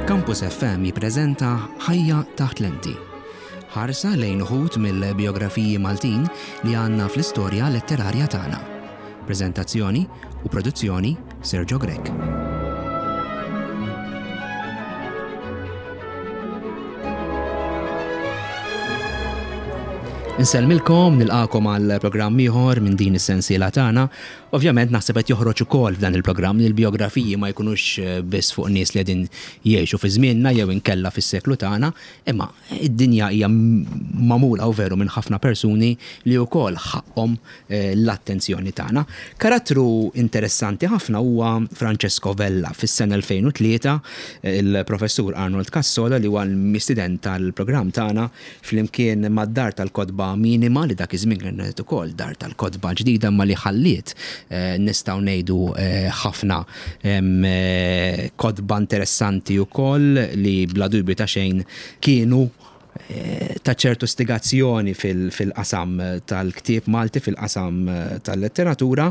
Campus FM jippreżenta Ħajja taħt lenti. Ħarsa lejn uħud mill-bijografiji Maltin li għandna fl-istorja letterarja tagħna. Preżentazzjoni u produzzjoni Sergio Grech. Insellmilkom, nilqakom għal programm ieħor minn din is-sensiela tagħna. Ovvjament naħseb qed joħroġ ukoll f'dan il-programm li l-bijografiji ma jkunux eh, biss fuq nies li qegħdin jgħixu fi żmienna jew inkella fis-seklu tagħna, imma id-dinja hija magħmula u veru minn ħafna persuni li wkoll ħaqhom l-attenzjoni tagħna. Karattru interessanti ħafna huwa Francesco Vella. Fis-sena 2003 il-Professur Arnold Cassola li huwa l-mistieden tal-programm tagħna flimkien mad-Dar tal-Kotba Minima li dak iż-żmien kienet ukoll Dar tal-Kotba ġdida imma li ħalliet nistgħu ngħidu ħafna kotba interessanti wkoll li bla dubju ta' xejn kienu ta' ċertu stigazzjoni fil-qasam tal-ktieb Malti, fil-qasam tal-letteratura.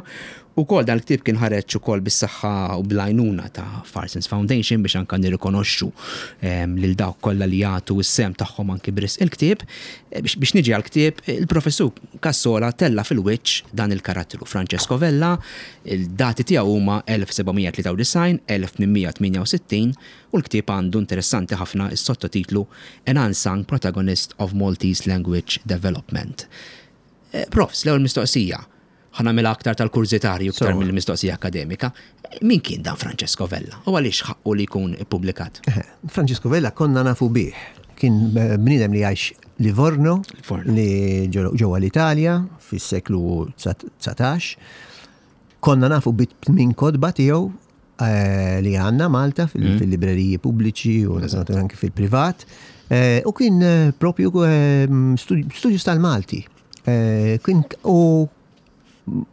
Ukoll dan il-ktieb kien ħareġ ukoll bis-saħħa u bl-għajnuna ta' Farsons Foundation biex anke nirrikonoxxu lil dawk kollha li jagħtu s-sehem tagħhom anki b'risq il-ktieb. Biex niġi għall-ktieb, il-Professur Cassola tella' fil-wiċċ dan il-karattru, Francesco Vella, il-dati tiegħu huma 1793, 1868, U l-ktieb għandu interessanti ħafna s-sottotitlu An Unsung Protagonist of Maltese Language Development. Profs, l-ewwel mistoqsija, ħa nagħmilha aktar tal-kurżitarju iktar mill-mistoqsija akkademika, min kien dan Francesco Vella u għaliex ħaqqu li jkun ippubblikat? Francesco Vella konna nafu bih. Kien bniedem li jgħix Livorno, li ġewwa l-Italja fis-seklu 19. Konna nafu bi tmien kotba tiegħu eh, li għandna Malta mm. fil-libreriji pubbliċi u anke fil-privat. Eh, u kien eh, propju studjus tal-Malti. Kien u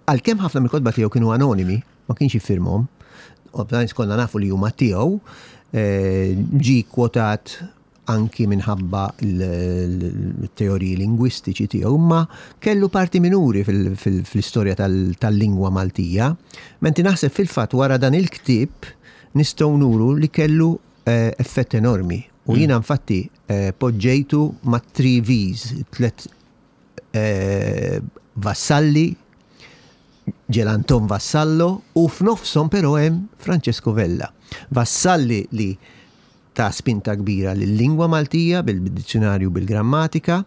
għalkemm ħafna mill-kotba tiegħu kienu anonimi, ma kienx jiffirmhom, ovvjament konna nafu li huma tiegħu, ġi kwotat anki minħabba l-teoriji lingwistiċi tiegħu, imma kellu parti minuri fl-istorja tal-lingwa Maltija. Menti naħseb fil-fatt wara dan il-ktieb nistgħu nuru li kellu eh, effett enormi. U mm. jiena infatti eh, poġġejtu ma' 3 V's, tlet eh, vassalli, Ġelanton Vassallo u f'nofshom però hemm Francesco Vella. Vassalli li ta spinta kbira lil-lingwa Maltija bil-dizzjunarju bil-grammatika,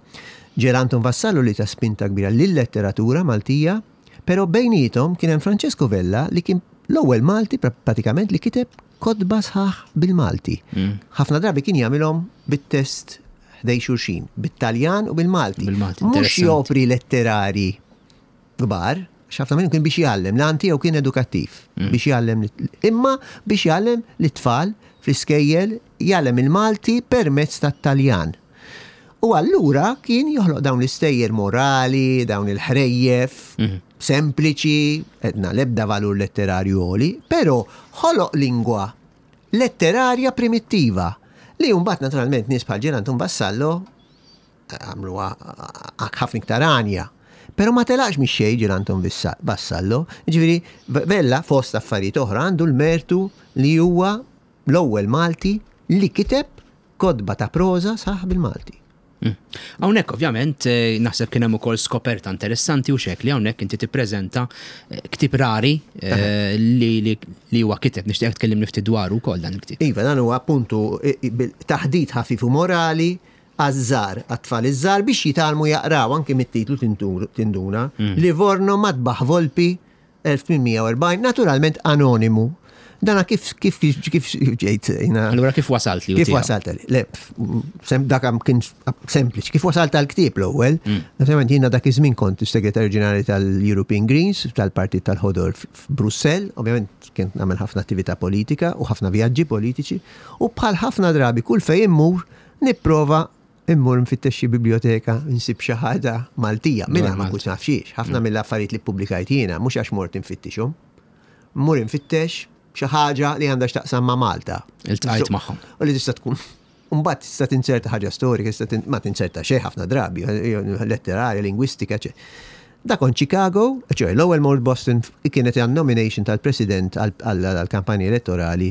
Ġer Anton Vassallo li ta spinta kbira lil-letteratura Maltija, però bejniethom kien hemm Francesco Vella li kien l-ewwel Malti pratikament li kiteb kotba sħaħ bil-Malti. Ħafna drabi kien jagħmilhom bit-test ħdej xulxin, bit-Taljan u bil-Malti. Mhux opri letterari kbar, x'ħafna minnhom kien biex jgħallem, l-għan tiegħu kien edukattiv, mm. biex jgħallem, imma biex jgħallem lit-tfal fl-iskejjel jgħallem il-Malti permezz tat-Taljan. U allura kien joħloq dawn l-istejjer morali, dawn il-ħrejjef, mm. sempliċi, edna lebda valur letterarju għoli, pero ħoloq lingwa letterarja primittiva li mbagħad naturalment nies bħal Ġerantum Vassallo għamluha ħafna iktar għanja. Pero ma telaqx mix xejn ġil Anton Vassallo. Ġifieri Vella fost affarijiet oħra għandu l-mertu li huwa l-ewwel Malti li kiteb kotba ta' proża saħ bil-Malti. Hmm. Hawnhekk ovvjament eh, naħseb kien hemm ukoll skoperta interessanti u xek li hawnhekk inti tippreżenta eh, ktieb rari eh, li li huwa kiteb nixtieq tkellimni ftit dwaru wkoll dan il-ktieb. Iva, dan huwa appuntu taħdit ħafif u morali għaż-żgħar, għat-tfal iż-żgħar biex jitgħallmu jaqraw anki mit-titlu tinduna. Mm. Livorno Matbaħ Volpi 1840, naturalment anonimu. Dana kif kif kif ġejt jina. Allura kif wasalt li? Kif wasalt li? Le, dak kien sempliċi. Kif wasalt għal ktieb l-ewwel? Mm. Naturalment jiena dak iż-żmien kont is-Segretarju Ġenerali tal-European Greens, tal-Partit tal-Ħodor f'Brussell, ovvjament kien nagħmel ħafna attività politika u ħafna vjaġġi politiċi, u bħal ħafna drabi kull fejn immur Nipprova immur nfittex xi biblioteka nsib xi ħaġa Maltija. Mingħajr ma kont naf xiex. Ħafna mm. mill-affarijiet li ppubblikajt jiena mhux għax mort infittixhom. Mmur infittex xi ħaġa li għandha x'taqsam ma' Malta. Iltqajt magħhom. U li tista' tkun Mbagħad tista' tinzerta ħaġa storika, tista' ma tinzerta xejn ħafna drabi, letterarja, lingwistika, ċe. Da kont Chicago, ċoe l-ewwel mort Boston kienet għan nomination tal-President għall-kampanja elettorali.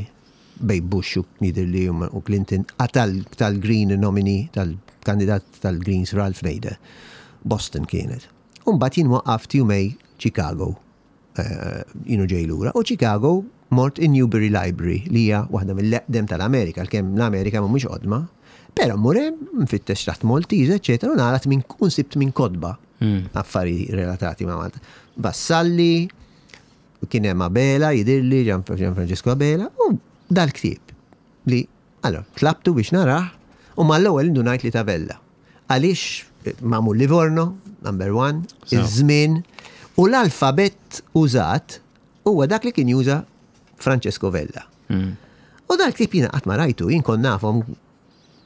bejn Bush u jidhirli u Clinton tal-Green nominee, tal-kandidat tal-Greens Ralph Nader. Boston kienet. U mbagħad jien waqaft jumej Chicago. Eh, jienu ġej lura. U Chicago mort in Newberry Library li hija waħda mill-eqdem tal-Amerika, għalkemm l-Amerika mhumiex qodma. Però mmur hemm nfittex taħt Maltese, eċetera, u nara minn u nsibt minn kotba affari relatati ma' Malta. Vassalli, kien hemm Abela, jidhirli, Gian Francesco Abela, u dal-ktieb li, allora, tlabtu biex narah u mal-ewwel indunajt li ta' Vella. Għaliex magħmul Livorno, number one, iż-żmien, u l-alfabett użat huwa dak li kien juża Francesco Vella. U dal-ktieb jiena qatt ma rajtu, jien kont nafhom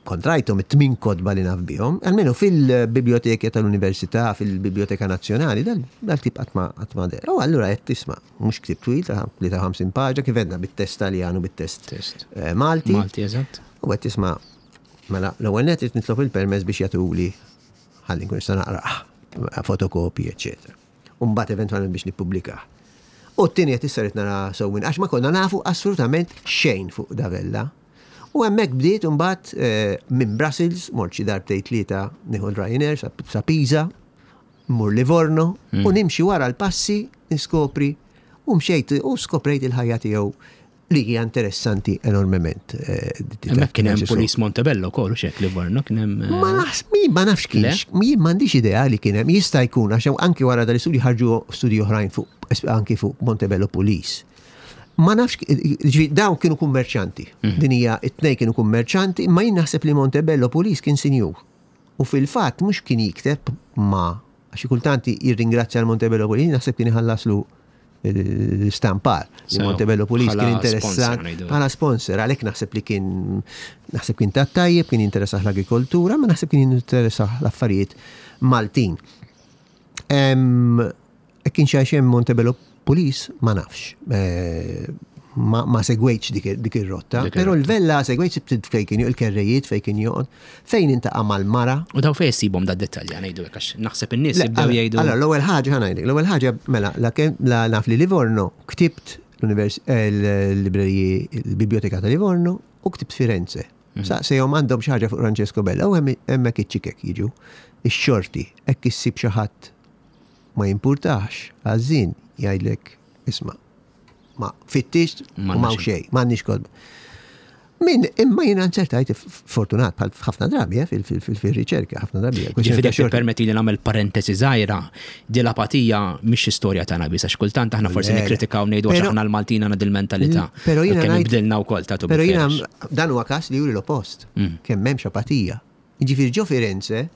kont rajthom it-tmin kotba li naf bihom, almenu fil-biblioteka tal-Università, fil-Biblioteka Nazzjonali, dal-ktieb qatt ma qatt ma deher. U allura qed tisma' mhux ktieb twil ta' 53 paġna kif għedna bit-test Taljan u bit-test Test. eh, Malti. Malti, eżatt. U qed tisma' mela l-ewwel nett qed nitlob il-permess biex jagħtuli ħalli nkun nista' naqrah, fotokopji, eċetera. U mbagħad eventwalment biex nippubblikah. U t-tieni qed issa rrid nara sewwin għax ma konna nafu assolutament xejn fuq Davella. U hemmhekk bdiet imbagħad eh, minn Brussels, mort xi darbtejn tlieta nieħu l-Ryanair sa, sa Pisa, mmur Livorno u nimxi wara l-passi niskopri u mxejt u skoprejt il-ħajja tiegħu li hija interessanti enormement. eh, Hemmhekk kien hemm Pulis Montebello wkoll u xek Livorno kien hemm. eh, Ma nafx, min ma nafx kienx, jien m'għandix idea li kien hemm, jista' jkun għax anki wara dal-istudju ħarġu studji oħrajn fuq anki fuq Montebello Police. Ma nafx, ġifieri dawn kienu kummerċanti. Din hija it-tnejn kienu kummerċanti, imma jien naħseb li Montebello Police kien sinjur. U fil-fatt mhux kien jikteb ma għax kultant jirringrazzja l-Montebello Police, naħseb kien iħallaslu l-istampar. Li Sew, Montebello Police bħala kien sponsor, interessat ngħidu. bħala sponsor, għalhekk naħseb li kien naħseb kien ta' tajjeb, kien jinteressah l-agrikoltura, ma naħseb kien jinteressah l-affarijiet Maltin. Em, Kien xi hemm Montebello Police, ma nafx. Eh, Ma, ma segwejtx dik, dik ir-rotta, Dik però ir-rotta. l-vella segwejt sibt fejn kien il-kerrejiet fejn kien joqgħod, fejn intaqa' mal-mara. U daw fejn issibhom da dettalji ngħidu hekk għax naħseb in-nies Le, jibdew Allora, jgħidu. allora, l-ewwel ħaġa ħa ngħidlek, l-ewwel ħaġa mela la kemm la naf li Livorno ktibt l-univers eh, l-libreriji l-Biblioteka ta' Livorno u ktibt Firenze. Mhm. Saqsejhom għandhom xi ħaġa fuq Francesco Bella u hemm hemmhekk iċ-ċikek jiġu. Ix-xorti hekk issib xi ħadd ma jimpurtax, għażin jgħidlek isma' ma fittix u M'għandna ma xejn. xejn, m'għandniex kodba. Min, imma jiena nzertajt fortunat bħal ħafna drabi eh, fil-riċerka, ħafna drabi. eh, Ġifieri kwestjoni ta' jekk permetti li nagħmel parentesi żgħira, di l-apatija mhix istorja tagħna biss għax kultant aħna forsi Le, le. nikkritikaw ngħidu għax Però- aħna l-Maltin għandna dil-mentalità. Pero jiena Kemm ngħid- ibdilna wkoll ta' Pero jiena dan huwa każ li juri l-oppost. Kemm m'hemmx apatija. Jiġifieri ġo Firenze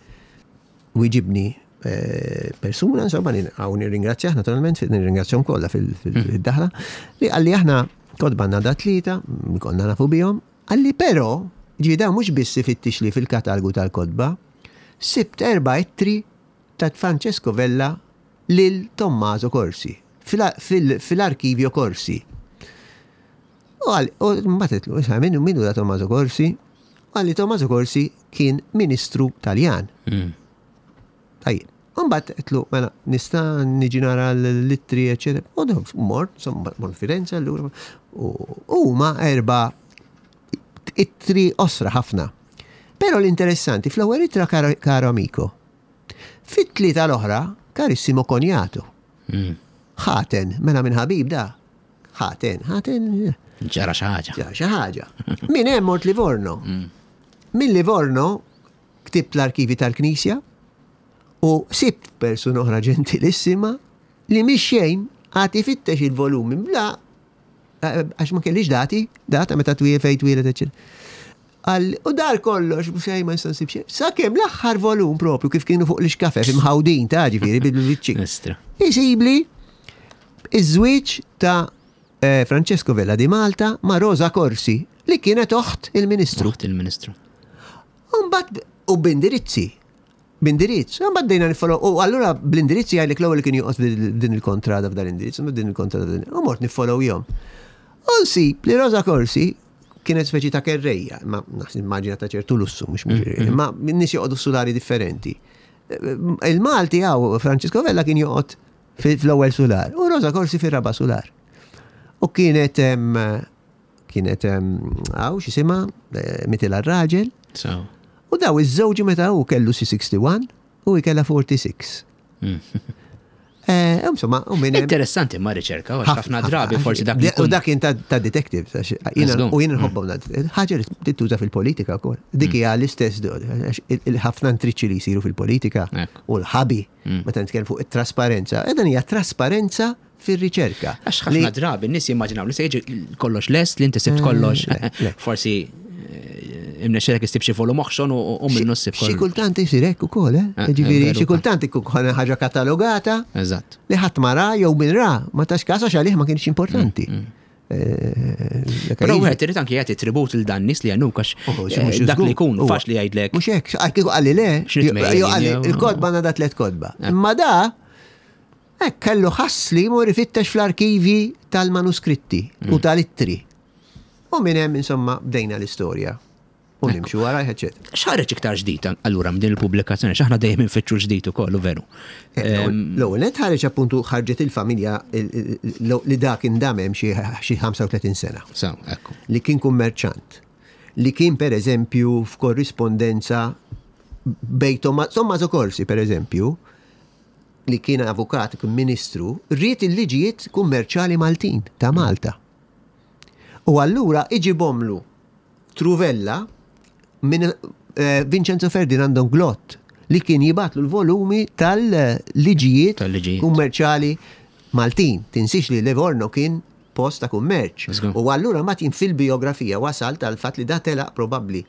wieġibni eh, persuna, insomma, hawn nirringrazzjah naturalment, nirringrazzjahom kollha fil-daħla, li qalli aħna kotba għandna da tlieta, mm, konna nafu bihom, qalli però, ġifieri dawn mhux biss ifittix li fil-katalgu tal-kotba, sibt erba' ittri ta' Francesco Vella lil Tommaso Corsi, fil-arkivjo Corsi. U għal, u mbagħad qedtlu, issa minnu minnu da Tommaso Corsi? Għalli Tommaso Corsi kien ministru Taljan. Tajjeb. Mbagħad qedtlu, mela nista' niġi nara l-ittri, eċetera. U dawn mort, insomma, mort Firenze allura. U huma erba' ittri osra ħafna. Però l-interessanti, fl-ewwel ittra caro, caro amico. Fit-tlieta l-oħra, carissimo cognato. Ħaten, mela minn ħabib da. Ħaten, ħaten, Ġara xi ħaġa. ġara xi ħaġa. Min hemm mort Livorno. Min Livorno ktibt l-arkivi tal-Knisja u sibt persuna oħra ġentilissima li mhix xejn għad ifittex il-volumi bla eh, għax ma kellix dati, data meta twiel fejn twielet eċċetera. Għal, u dar kollox, xejn ma nista' nsib xejn. Sakemm l-aħħar volum propju kif kienu fuq l-iskafef imħawdin ta' ġifieri bil-biċċi. Istra. Isibli iż-żwieġ ta' eh, Francesco Vella di Malta ma' Rosa Corsi li kienet oħt il-Ministru. Oħt il-Ministru. Umbat, u b'indirizzi. B'indirizz. Umbat dejna nifollow. U allura bl-indirizzi għajlek l-ewwel li kien joqgħod din il-kontrada f'dan l-indirizz, u din il-kontrada din. U mort nifollow jom. U nsib li Rosa Corsi kienet speċi ta' kerrejja, ma naħseb immaġina ta' ċertu lussu, mhux mhux imma nies joqogħdu sulari differenti. Il-Malti għaw Francesco Vella kien joqgħod fil- fl-ewwel sular u Rosa Corsi fir-raba' sular. U kienet em, kienet għaw x'jisimha eh, mitilha r-raġel. U daw iż-żewġi meta hu kellu si 61 u hi kellha 46. Eh, insomma, u minn Interessanti ma riċerka, għax ħafna drabi forsi dak li U dak kien ta' detective, u jien nħobbhom ħaġa li tittuża fil-politika wkoll. Dik mm. hija l-istess il-ħafna intriċċi li jsiru fil-politika u l-ħabi mm. meta nitkellem fuq it-trasparenza. Edan hija trasparenza fir-riċerka. Għax ħafna drabi n-nies jimmaġinaw li se jiġi kollox lest li inti sibt mm, kollox. Forsi eh, imnexxelek issib xi volum oħxon u minnu ssib kollox. Xi kultant isir hekk ukoll, eh? eh Ġifieri xi kultant ikun ħaġa katalogata. Eżatt. Li ħadd ma ra jew min ra ma tax każ għax għalih ma kienx importanti. Mm, mm. Eh, Però wieħed irid anke jagħti tribut il dan nies li għanuk għax oh, eh, dak li jkun faċli jgħidlek. Mhux hekk, kieku qalli le, jew qalli il-kodba għandha tliet kodba. Imma da Hekk kellu ħass li jmur ifittex fl-arkivji tal-manuskritti u mm. tal-ittri. U minn hemm insomma bdejna l-istorja. U nimxu wara, eċetera. X'ħareġ iktar ġdid allura minn din il-pubblikazzjoni? X'aħna dejjem infittxu ġdid ukoll, veru. Eh, l-ewwel net ħareġ appuntu ħarġet il-familja li dak indamem xi 35 sena. Li kien kummerċant. Li kien per eżempju f'korrispondenza bejn Tommaso Corsi per eżempju, li kien avukat, kien ministru, ried il-liġijiet kummerċjali Maltin ta' Malta. U allura iġibhomlu Truvella minn eh, Vincenzo Ferdinando Glott li kien jibatlu l-volumi tal-liġijiet kummerċjali Maltin. Tinsix li Livorno kien post ta' kummerċ. U allura ma jien fil-biografija wasal tal-fatt li da telaq probabbli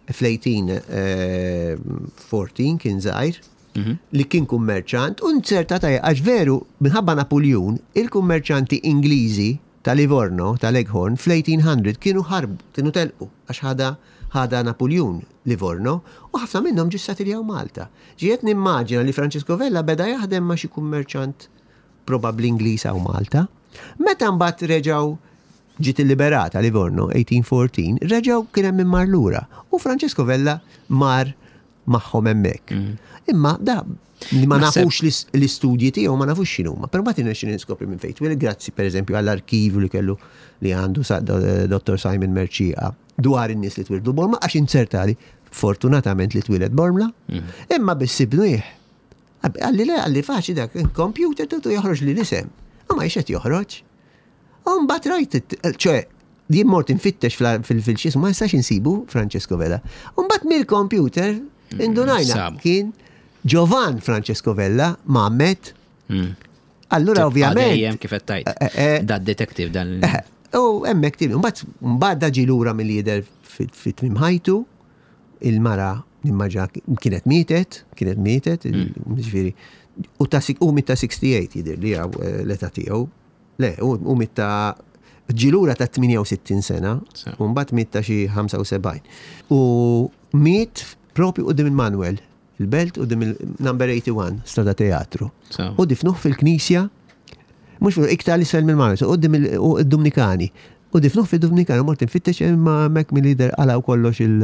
fl-1814 eh, kien żgħir mhm. li kien kummerċant u nzerta ta' għax veru minħabba Napuljun il-kummerċanti Ingliżi ta' Livorno, ta' Leghorn, fl-1800 kienu ħarbu, kienu telqu għax ħada ħada Napuljun Livorno u ħafna minnhom ġiu ssatiljaw Malta. Ġiet nimmaġina li Francesco Vella beda jaħdem ma' xi kummerċant probabbli Ingliż hawn Malta. Meta mbagħad reġgħu ġiet illiberata Livorno 1814, reġgħu kien hemm min mar lura u Francesco Vella mar magħhom hemmhekk. Mm. Imma da li ma nafux l-istudji tiegħu ma nafux x'inhuma, però ma tinnex niskopri minn fejn twil grazzi pereżempju għall-arkivju li kellu li għandu Dr. Simon Merċieqa dwar in-nies li twildu Bormla għax inzertali fortunatament li twieled Bormla, mm. imma biss ibnuih Għalli le, għalli faċi dak, computer tutu joħroġ li l-isem. U ma jxet joħroġ. U mbagħad rajt, ċoe, jien mort infittex fil-xis, ma nistax insibu Francesco Vella. U mbagħad mill-computer mm, indunajna kien Giovan Francesco Vella Mamet. Mm. Allura ovvjament. Dejjem kif qed tgħid. Eh, eh, da detective dan. Eh, u hemmhekk tieni, mbagħad mbagħad ġi lura mill-lider fit-tmiem ħajtu il-mara nimmaġa kienet mietet, kienet mietet, mm. ġifieri, u ta' u mit ta' 68 jidher li għaw eh, l-età tiegħu. Le, u mit ta' ġilura ta' 68 sena, u mbagħad miet ta' xi 75. U miet propju qudiem il-Manuel, il-belt qudiem il-number 81, strada teatru. U difnuh fil-knisja, mhux iktar l-isfel mill-Manuel, qudiem il-Dominikani. U difnuh fid-Dumnikana mort infittex imma hemmhekk milli jidher qalgħu kollox il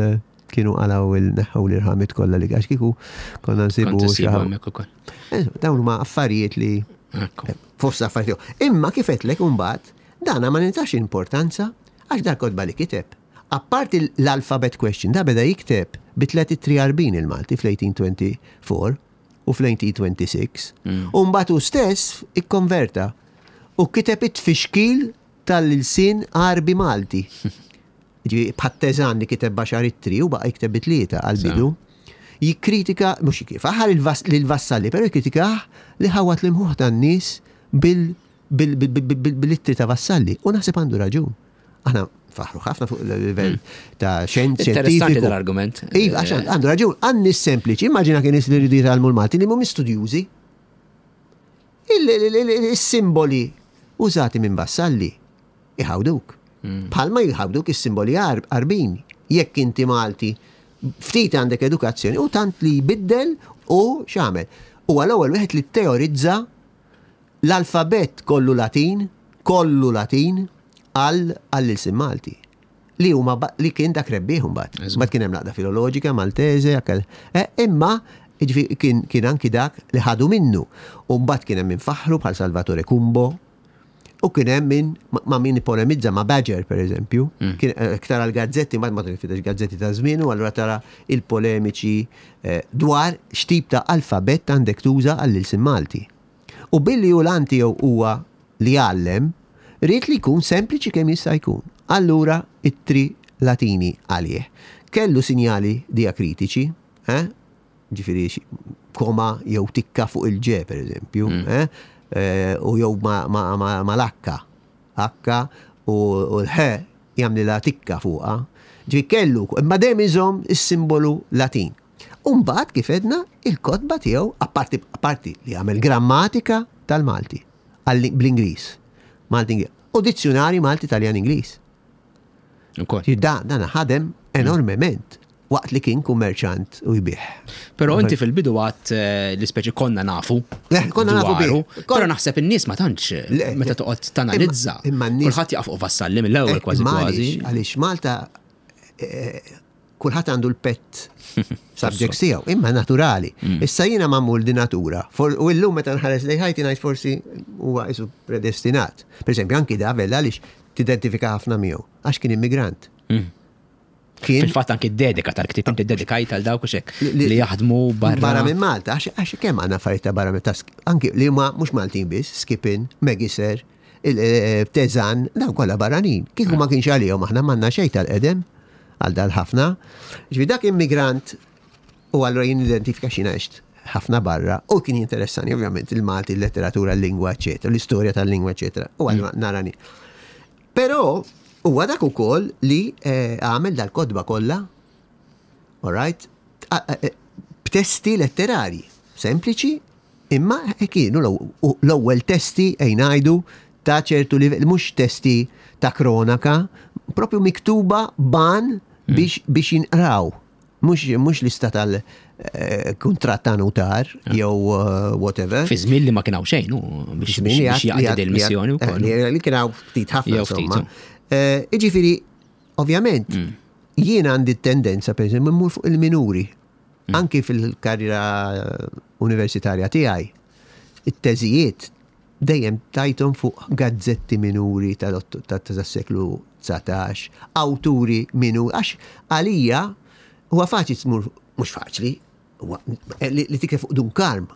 kienu qalgħu il neħħew l-irħamiet kollha li għax kieku konna nsibu xi hemmhekk ukoll. Eh, dawn huma affarijiet li fost affarijiet. Imma kif qedlek imbagħad dana ma nintax importanza għax dak kotba li kiteb. Apparti l-alphabet question, da beda jikteb bi tlet ittri Għarbin il-Malti fl-1824 u fl-1826. Mm. U mbagħad hu stess ikkonverta u kiteb it-tfixkil tal-ilsien Għarbi Malti. Ġifieri bħat-Teżan li kiteb b'għaxar ittri u baqa' jikteb bi tlieta għall-bidu. Jikkritika, mhux jikkritika, lil Vassalli, però jikkritikah li ħawwad l-imħuħ tan-nies bil-ittri ta' Vassalli. U naħseb għandu raġun. Aħna faħru ħafna fuq il-livell mm. ta' xjenza. Interessanti dal-argument. Iva, għax għandu raġun, għan-nies sempliċi, immaġina kien nies li jridu jitgħallmu l-Malti li mhumiex studjużi. Il-simboli użati minn Vassalli iħawduk. Mm. Bħalma jħawduk is-simboli Għarbin. Jekk inti Malti, ftit għandek edukazzjoni u tant li jbiddel u x'għamel. Huwa l-ewwel wieħed li teorizza l-alfabett kollu Latin, kollu Latin għall-ilsien Malti. Li huma li kien dak rebbieħ imbagħad. Mbagħad kien hemm l-għaqda filoloġika Maltese, eh, imma kien, kien anki dak li ħadu minnu. U mbagħad kien hemm infaħru bħal Salvatore Cumbo. U kien hemm min ma' min ipolemizza ma' Badger per eżempju, mm. kien eh, tara l-gazzetti, ma ma tinfitex gazzetti ta' żmien u allura tara il-polemiċi eh, dwar x'tip ta' alfabett għandek tuża għall-ilsien Malti. U billi hu l-għan tiegħu huwa li jgħallem, ried li jkun sempliċi kemm jista' jkun. Allura ittri Latini għalih. Kellu sinjali diakritiċi, eh? Ġifieri koma jew tikka fuq il-ġe, per eżempju, mm. eh? Eh, u jew ma, ma, ma, ma l-akka. Akka u l-ħe jagħmlilha tikka fuqha. Ġifieri kellu, imma dejjem iżomm is-simbolu Latin. U mbagħad kif għedna il-kotba tiegħu apparti apparti li għamel grammatika tal-Malti bl-Ingliż. Malti u dizzjunari Malti Taljan Ingliż. Da, dan ħadem enormement waqt li kien kummerċant u jbigħ. Però inti fil-bidu għat eh, li speċi konna nafu. Eh, konna nafu bih. Però naħseb in-nies ma tantx eh, meta toqgħod tanalizza. Imma n-nies. Kulħadd jaqaf fuq vassalli mill-ewwel kważi kważi. Għaliex Malta kulħadd għandu l-pet subjects tiegħu, imma naturali. Mm. Issa jiena magħmul di natura. U llum meta nħares lejn ħajti ngħid forsi huwa isu predestinat. Per eżempju, anki da Vella għaliex tidentifika ħafna miegħu, għax kien immigrant. Mm. Kien Fil-fatt anki dedika tal-ktib inti dedikajt għal dawk xek li jaħdmu barra. Barra minn Malta, għax kemm għandna affarijiet ta' barra minn ta' anki li huma mhux Maltin biss, Skipin, Megiser, eh, Tezan, dawn kollha barranin. Kieku ma kienx għalihom aħna m'għandna xejn tal-qedem għal dal-ħafna. Ġifi dak immigrant u allura jien identifika xi għext ħafna barra u kien jinteressani ovvjament il-Malti, il-letteratura, l-lingwa, eċetera, l-istorja tal-lingwa, eċetera. U allura mm. narani. Però huwa dak ukoll li eh, għamel dal-kotba kollha, all right, eh, b'testi letterari sempliċi Imma kienu l-ewwel testi ej ngħidu ta' ċertu livell, mhux testi ta' kronaka, propju miktuba ban mm. biex, biex jinqraw. Mhux, mhux lista tal-kuntratt ta' notar ah. jew uh, whatever. Fi żmien li ma kien hawn xejn, biex biex jaqdi il-missjoni wkoll. Eh, li kien hawn ftit ħafna insomma. Eh, jiġifieri, ovvjament, mm. jien għandi tendenza per eżempju mmur fuq il-minuri. Mm. Anki fil-karriera universitarja tiegħi, it-teżijiet dejjem tajthom fuq gazzetti minuri tas-seklu 19, awturi minuri, għax għalija huwa faċli tmur, mhux faċli, li tikteb fuq Dun Karm.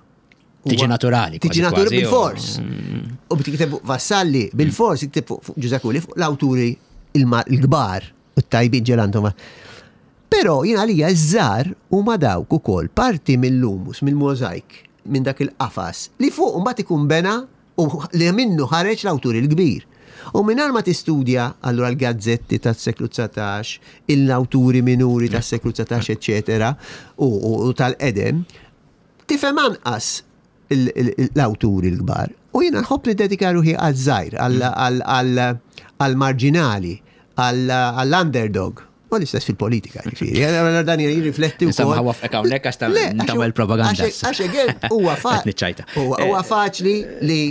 Tiġi naturali. Tiġi naturali bil-fors. Mm. U tikteb fuq Vassalli, bil-fors, tikteb fuq Ġużè Kuli, fuq l-awturi il-kbar. U t-tajbin ġelantu ma. Però jien għalija ż-żgħar huma dawk ukoll parti mill-humus, mill-możajk, minn dak il-qafas li fuq mbagħad ikun bena u li minnu ħareġ l-awtur il-kbir. U mingħajr ma tistudja allura l-gazzetti tas-seklu 19, l-awturi minuri tas-seklu 19, eċċetera, u tal-qedem, tifhem anqas l-awturi l-kbar. U jiena nħobb niddedika ruħi għaż-żgħir, għall-marġinali, għall-underdog. U l-istess fil-politika, ġifieri. Dan jirrifletti wkoll. Insomma, wafqek hawnhekk għax tagħmel propaganda. Għax again huwa huwa faċli li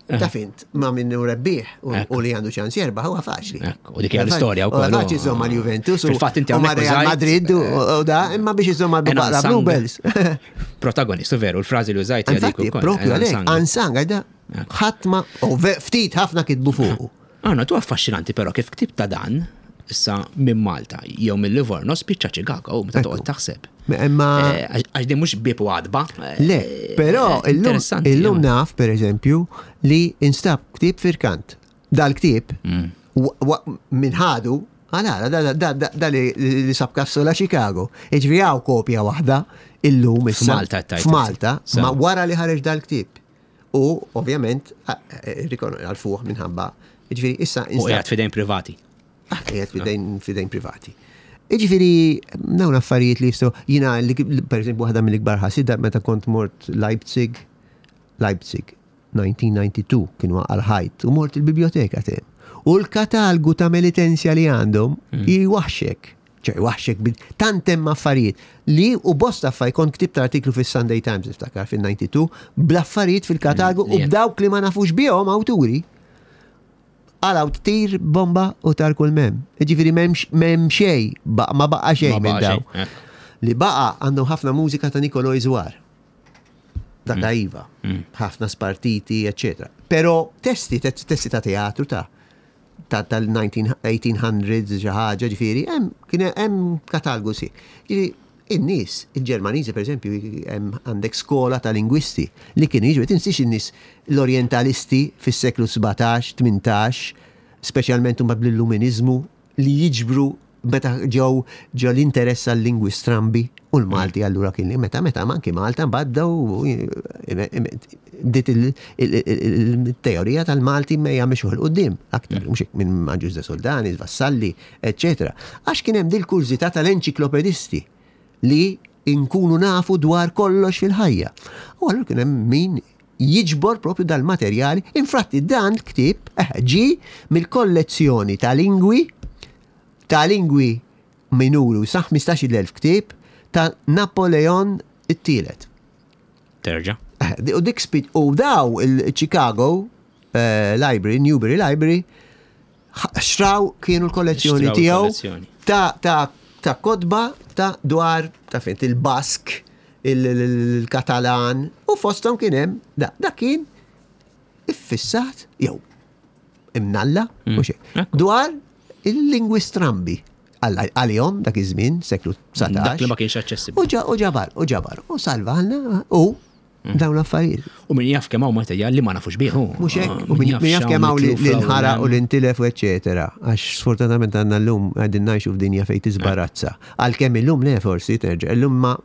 Taf int, ma minn hu rebbieħ u li għandu ċans jerbaħ huwa faċli. U dik hija l-istorja wkoll. Faċli żomm mal Juventus u ma' Real Madrid u da, imma biex iżomm mal Baqra Bluebells. Protagonistu veru, l-frażi li użajt hija dik ukoll. Propju għalhekk, unsung, għajda ħadd ma u ftit ħafna kitbu fuqu. Għana, tu affaxxinanti però kif ktib ta' dan, issa minn Malta jew minn Livorno spiċċa Chicago meta toqgħod taħseb. Imma eh, għax din mhux bib u għadba. Eh, Le, però eh, illum naf pereżempju li instab ktieb firkant. Dal-ktieb mm. minn ħadu Għala, da li sab kassola Chicago. Iġvi għaw kopja wahda illum issa. F'Malta, F'Malta, ma wara li ħareġ dal-ktieb. U ovvjament għalfuh minħabba. Ġifieri issa. U qiegħed fidejn privati. Ah, qiegħed fidejn fidejn privati. Jiġifieri dawn affarijiet li jistgħu jiena per eżempju waħda mill-ikbar ħasida meta kont mort Leipzig, Leipzig 1992 kien waqa' l-ħajt u mort il-biblioteka tem. U l-katalgu ta' Melitensja li għandhom mm. jwaħxek. ċe jwaħxek bil tant hemm affarijiet li u bosta affarijiet kont ktibt artiklu fis-Sunday Times niftakar fil-92 bl-affarijiet fil-katalgu mm, u b'dawk li ma nafux bihom awturi. Għalaw tir bomba u tar kull mem. Ġifieri m'hemm xejn, ma baqa xejn minn daw. Eh. Li baqa għandhom ħafna mużika ta' Nikoloj Zwar. Dak mm. iva. Mm. Ħafna spartiti, eccetera. Però testi, testi ta' teatru ta' tal-1800s xi ħaġa ġifieri, hemm kien hemm katalgu si. Ġifieri in-nies, il-Ġermaniżi pereżempju, hemm għandek skola ta' lingwisti li kienu jiġu, tinsiex in-nies l-Orjentalisti fis-seklu 17, 18, speċjalment huma bl-Illuminiżmu li jiġbru meta ġew ġew l-interess għal-lingwi strambi u l-Malti allura kien li meta meta anki Malta mbagħad bdew bdiet il-teorija tal-Malti mejja mixuh 'il quddiem aktar mhux hekk minn Agius de Soldanis, Vassalli, eċċetera. Għax kien hemm dil-kurżità tal-enċiklopedisti li nkunu nafu dwar kollox fil-ħajja. U allura kien hemm min jiġbor propju dal-materjali. Infatti dan l-ktieb eh, ġie mill-kollezzjoni ta' lingwi ta' lingwi minuri sa 15,000 ktieb ta' Napoleon it-tielet. Terġa. Eh, u dik spit u daw il-Chicago eh, Library, Newbury Library, xtraw kienu l-kollezzjoni tiegħu ta' ta' ta' kotba ta' dwar ta' fint il-Bask, il-Katalan u fosthom kien hemm da, da kien iffissat jew imnalla mm. u xejn. Dwar il-lingwi strambi għalihom dak iż-żmien, seklu 19. Dak li ma kienx aċċessibbli. U ġabar, u ġabar, u salvalna u mm. dawn l-affarijiet. U min jaf kemm hawn materjal li ma nafux bih. Mhux hekk, u min jaf kemm hawn li nħara u li ntilef u eċetera. Għax sfortunatament għandna llum qegħdin ngħixu f'dinja fejn tiżbarazza. Għalkemm illum le forsi terġa' illum ma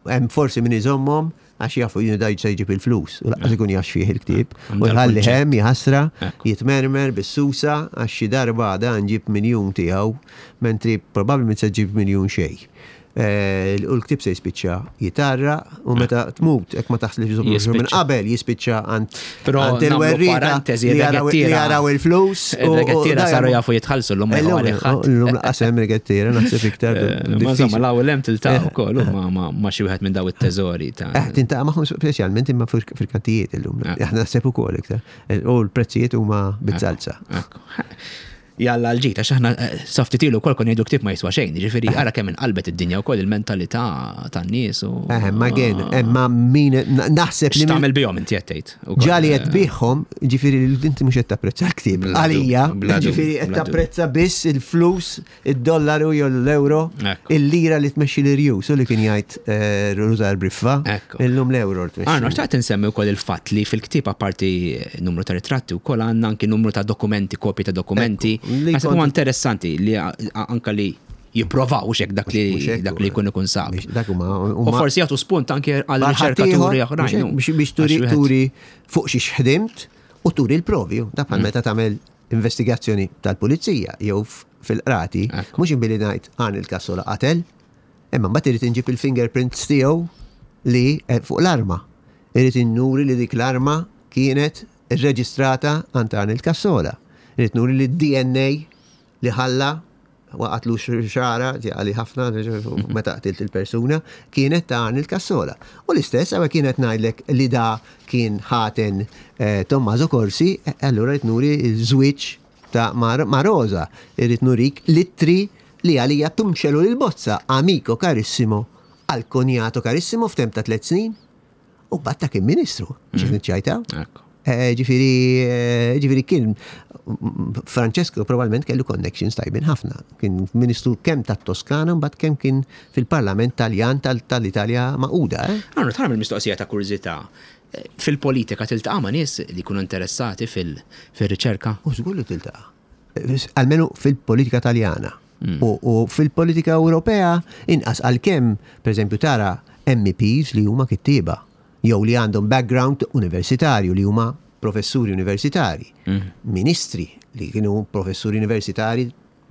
Hemm forsi min iżommhom għax jafu jien daj se jġib il-flus u laqqas ikun jaf fih il-ktieb. U jħalli hemm jħassra, jitmermer bis-susa għax xi darba għada nġib miljun tiegħu, mentri probabbilment se ġib miljun xejn. Eh, u l-ktieb se jispiċċa jitarra u meta tmut hekk ma taħslifx minn qabel jispiċċa għand Però il-werrieta li jaraw il-flus. Il-regettiera saru jafu jitħallsu l-lum. L-lum laqas hemm regettiera naħseb iktar. Eh, ma insomma l-ewwel hemm tiltaqa' eh. ukoll ma xi wieħed minn daw it-teżori ta' eh, tintaqa' magħhom speċjalment imma fil-kantijiet illum. Aħna naħseb ukoll iktar. U l-prezzijiet huma bizzalza. Jalla l-ġid, għax aħna eh, sa ftit ilu wkoll konna ngħidu ktieb ma jiswa xejn, jiġifieri ara kemm inqalbet id-dinja wkoll il-mentalità tan-nies u. Eh, ma gen, eh, ma min naħseb li. X'tagħmel bihom inti qed tgħid. Ġali qed biħhom, ġifieri inti mhux qed tapprezza l-ktieb. Għalija, ġifieri qed tapprezza biss il-flus id-dollaru jew l-euro, il-lira li tmexxi l-irjus, u li kien jgħid eh, Rużar Briffa, illum l-euro tmexxi. Arno, xtaqt insemmi wkoll il-fatt li fil-ktieb apparti numru ta' ritratti wkoll għandna anki numru ta' dokumenti, kopji ta' dokumenti. Naħseb huwa interessanti li anka li jipprovaw xek dak li dak li jkun ikun sab. U forsi jagħtu spunt anke għal riċerkaturi oħrajn. Biex turi turi fuq xi xħdimt u turi l-provi, dak bħal mm. meta tagħmel investigazzjoni tal-pulizija jew fil-qrati, mhux billi ngħid għan il-kassola qatel, imma mbagħad irid inġib il-fingerprints tiegħu li eh, fuq l-arma. Irid innuri li dik l-arma kienet irreġistrata għand għan il-kassola. Irid nuri li d-DNA li ħalla waqatlu xara, għali ħafna meta qtilt il-persuna, kienet ta' Arnold Cassola. U l-istess, għawe kienet ngħidlek li da kien ħaten eh, Tommaso Corsi, eh, allura rrid nuri żwieġ ta' ma' Rosa, irrid nurik littri li għalija tumxelu l-bozza, amico carissimo, għal konjato carissimo f'temp ta' tlet snin. U batta kien ministru, biex mm. niċċajta. Eh, ġifiri, eh, ġifiri kien Francesco probabbilment kellu connections tajbin ħafna. Kien ministru kemm tat-Toskana mbagħad kemm kien fil-Parlament Taljan tal-Italja maquda. Eh? Għandu tagħmel mistoqsija ta' kurżità. Fil-politika tiltaqa' ma' nies li jkunu interessati fil-riċerka? U żgur li tiltaqa'. Almenu fil-politika Taljana. Mm. U fil-politika Ewropea inqas għalkemm, pereżempju, tara MEPs li huma kittieba jew li għandhom background universitarju li huma professuri universitari, mm. ministri li kienu professuri universitari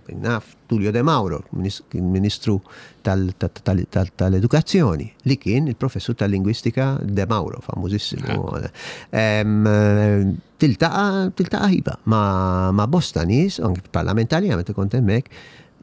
naf Tullio De Mauro, kien ministru tal-edukazzjoni, li kien il-professur tal-lingwistika De Mauro, famużissimu. Tiltaqa' tiltaqa' iva ma' bosta nies, anki fil-Parlament Taljan meta kont hemmhekk,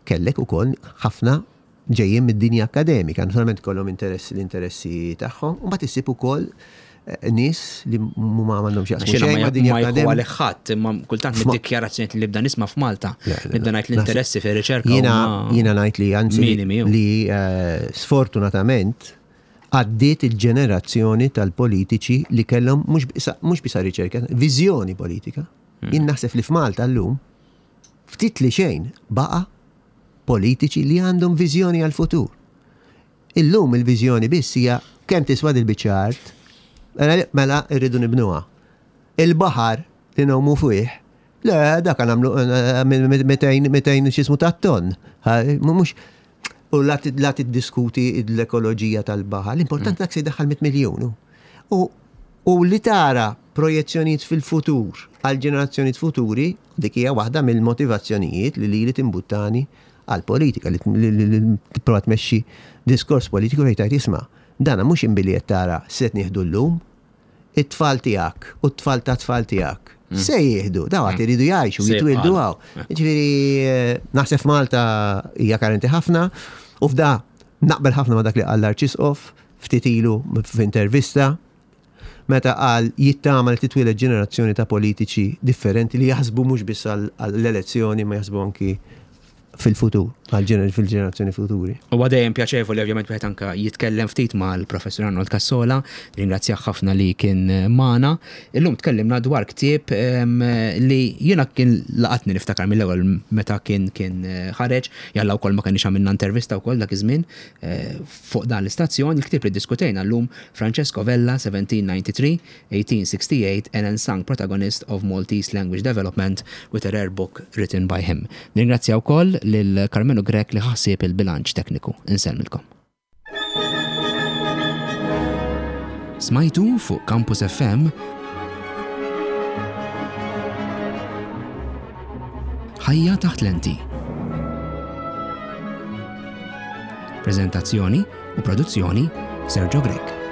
kellek ukoll ħafna ġejjin mid-dinja akkademika, naturalment kollhom interess l-interessi tagħhom, u mbagħad issib ukoll eh, nies li huma m'għandhom x'jaqsmu xejn ma' dinja akademika. Ma jħu ħadd, imma kultant mid-dikjarazzjonijiet li nibda nisma' f'Malta, nibda ngħid l-interessi fir-riċerka. Jiena ngħid li anzi li eh, sfortunatament. Għaddiet il-ġenerazzjoni tal-politiċi li kellhom mhux biss riċerka, viżjoni politika. Jien naħseb li f'Malta llum ftit li xejn baqa' politiċi li għandhom viżjoni għall-futur. Illum il-viżjoni biss hija kemm tiswa dil-biċċa art, mela, mela rridu nibnuha. Il-baħar li ngħumu fih, le dak nagħmlu 200 200 x'ismu ta' ton. Mhux u la tiddiskuti l-ekoloġija tal-baħar, l-importanti dak se jdaħħal 100 miljun. U u li tara projezzjonijiet fil-futur għal ġenerazzjonijiet futuri, dik hija waħda mill-motivazzjonijiet li lili timbuttani għall-politika, li tipprova tmexxi diskors politiku fejn tgħid isma' dana mhux imbilli qed tara se nieħdu llum, it-tfal tiegħek u t-tfal tat-tfal tiegħek mm. se jieħdu, daw għad mm. iridu jgħixu, jitwildu għaw. Ġifieri eh, naħseb Malta hija karenti ħafna u f'da naqbel ħafna ma dak li qal l-Arċisqof ftit ilu f'intervista meta qal jittama li titwieled ġenerazzjoni ta' politiċi differenti li jaħsbu mhux biss għall-elezzjoni ma jaħsbu anki fil-futur, fil-ġenerazzjoni futuri. Huwa dejjem pjaċevoli ovvjament wieħed anke jitkellem ftit mal-Professur Arnold Cassola, ringrazzjah ħafna li kien magħna. Illum tkellimna dwar ktieb li jiena kien laqatni niftakar mill-ewwel meta kien kien ħareġ, jalla wkoll ma kenniex għamilna intervista wkoll dak iż-żmien fuq dan l-istazzjon, il-ktieb li ddiskutejna llum Francesco Vella, 1793, 1868, an unsung protagonist of Maltese language development with a rare book written by him. Nirringrazzja wkoll lil Karmenu Grech li ħa ħsieb il-bilanċ tekniku. Insellmilkom. Smajtu fuq Campus FM Ħajja taħt lenti. Preżentazzjoni u produzzjoni Sergio Grech.